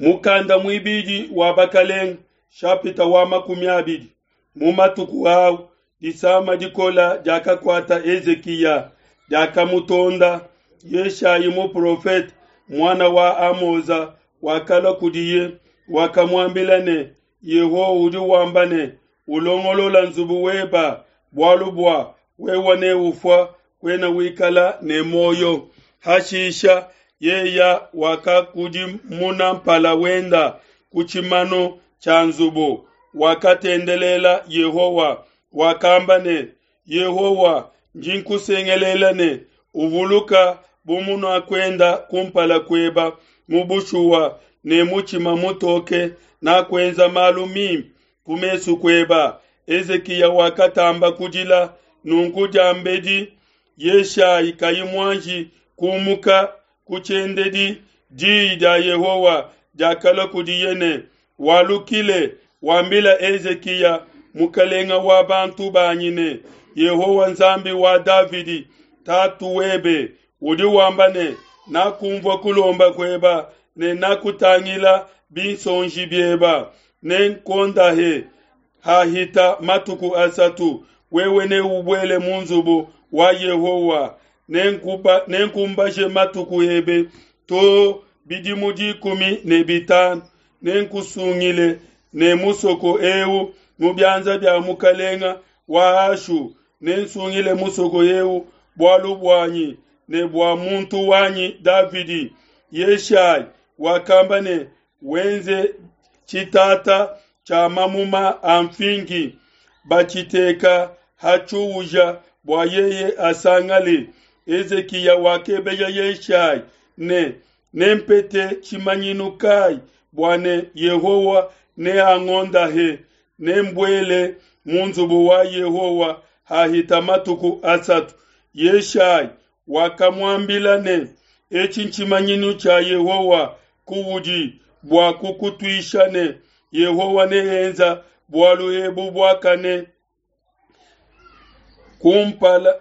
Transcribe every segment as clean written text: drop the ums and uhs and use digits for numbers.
Mukanda muibidi wa Bakelenge, shapita wa 20. Mu matuku au disama dikola diakakuata Hezikiya, diakamutonda. Yeshayi muprofete, muana wa Amoza, wakalua kudiye, wakamuambila ne, Yehowa udi wamba ne, Ulongolola nzubu weba, bualu bua wewe neufua, kuena wikala ne muoyo. Hashisha yeya wakakudimuna mpala wenda ku tshimanu tshia nzubu, wakatendelela Yehowa, wakamba ne, Yehowa, ndi nkusengelela ne, uvuluka bu munakuenda kumpala kueba mu bushuwa ne mutshima mutoke, nakuenza malu mimpe ku mesu kueba. Hezikiya wakatamba kudila. Nunku diambedi Yeshayi kayi muanji kumuka ku tshiendedi, diyi dia Yehowa diakalua kudiye ne, Walukile, wambila Hezikiya mukalenga wa bantu banyi ne, Yehowa Nzambi wa Davidi tatu webe udi wamba ne, Nakumvua kulomba kueba ne nakutangila binsonji bieba, nenkuondahe hahita matuku asatu, wewe neubuele mu nzubu wa Yehowa, nenkumbaje matuku ebe to bidimu 15, nenkusungile ne musoko eu mu bianza bia mukalenga wa Ashu, nensungile musoko eu bualu buanyi ne bua muntu wanyi Davidi. Yeshayi wakamba ne, Wenze tshitata tshia mamuma a mfingi, batshiteka ha tshiuja bua yeye asangale. Hezikiya wakebeja Yeshayi ne, Nempete tshimanyinu kai bua ne Yehowa neangondahe, nembuele mu nzubu wa Yehowa hahita matuku asatu? Yeshayi wakamuambila ne, Etshi ntshimanyinu tshia Yehowa kuudi bua kukutuisha ne, Yehowa neenza bualu ebu buakane kumpala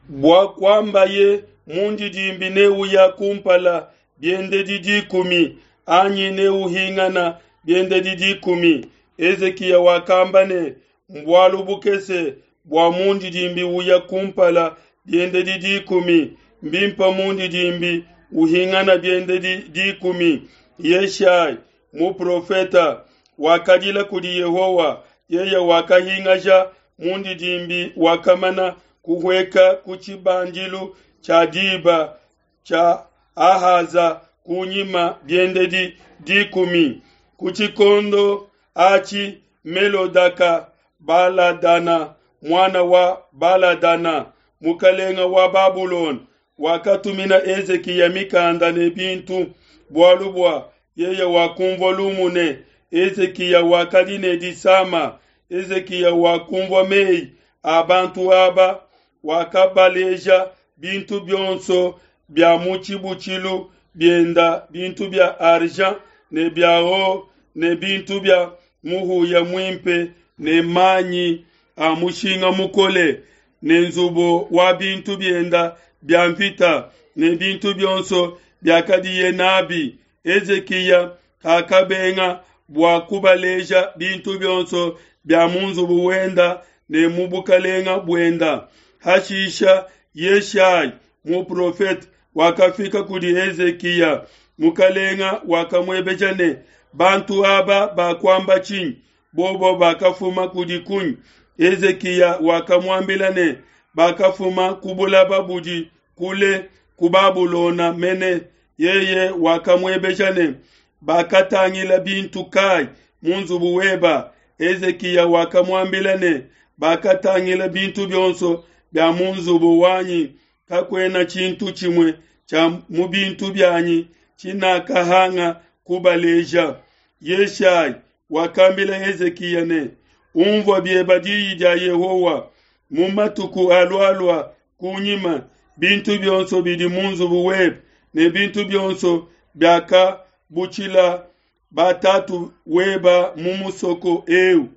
bua kuambaye mundidimbi neuya kumpala biendedi 10 anyi neuhingana biendedi 10. Hezikiya wakamba ne, Mbualu bukese bua mundidimbi uya kumpala biendedi 10, mbimpe mundidimbi uhingana biendedi 10. Yeshayi muprofeta wakadila kudi Yehowa, yeye wakahingaja mundidimbi wakamana kuhueka ku tshibandilu tshia diba tshia Ahaza kunyima biendedi 10. Ku tshikondo atshi Melodaka Baladana, muana wa Baladana, mukalenga wa Babulona, wakatumina Hezikiya mikanda ne bintu, bualu bua yeye wakumvua lumu ne, Hezikiya wakadi ne disama. Hezikiya wakumvua meyi a bantu aba, wakabaleja bintu bionso bia mu tshibutshilu bienda, bintu bia argent ne bia or ne bintu bia muhuya muimpe ne manyi a mushinga mukole ne nzubu wa bintu bienda bia mvita ne bintu bionso biakadiye nabi. Hezikiya kakabenga bua kubaleja bintu bionso bia mu nzubu wenda ne mu bukalenga buenda. Hashisha Yeshayi muprofete wakafika kudi Hezikiya. Mukalenga wakamuebeja ne, Bantu aba bakuamba tshinyi? Bobo bakafuma kudi kunyi? Hezikiya wakamuambila ne, Bakafuma ku bulaba budi kule, ku Babulona mene. Yeye wakamuebeja ne, Bakatangila bintu kai mu nzubu weba? Hezikiya wakamuambila ne, Bakatangila bintu bionso bia mu nzubu wanyi, kakuena tshintu tshimue tshia mu bintu bianyi tshinakahanga kubaleja. Yeshayi wakambila Hezikiya ne, Umvua bieba diyi dia Yehowa, mu matuku alualua kunyima, bintu bionso bidi mu nzubu webe ne bintu bionso biakabutshila batatu weba mu musoko eu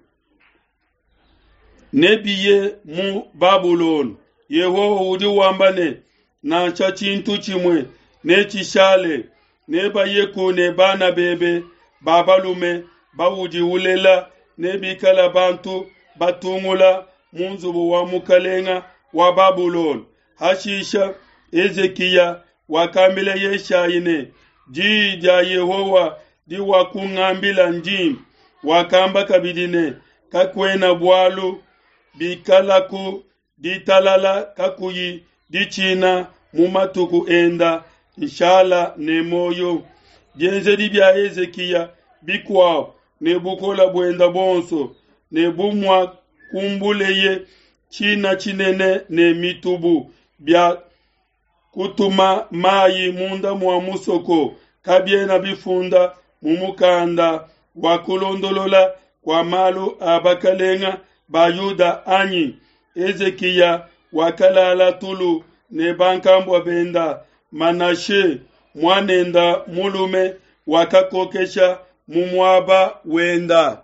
nebiye mu Babulona. Yehowa udi wamba ne, nansha tshintu tshimue Netshishale, nebayeku ne bana bebe ba balume baudi ulela, nebikale bantu batungula mu nzubu wa mukalenga wa Babulona. Hashisha Hezikiya wakambila Yeshayi ne, Diyi dia Yehowa diwakungambila ndimpe. Wakamba kabidi ne, Kakuena bualu bikalaku ditalala kakuyi ditshina mu matuku enda nshala ne muoyo. Bienzedi bia Hezikiya bikuabu ne bukole buende buonso ne bu muakumbuleye tshina tshinene ne mitubu bia kutuma mayi munda mua musoko kabiena bifunda mu mukanda wa kulondolola kua malu a bakalenga ba Yuda anyi? Hezikiya wakalala tulu ne bankambua benda. Manashe muanenda mulume wakakokesha mu muaba wenda.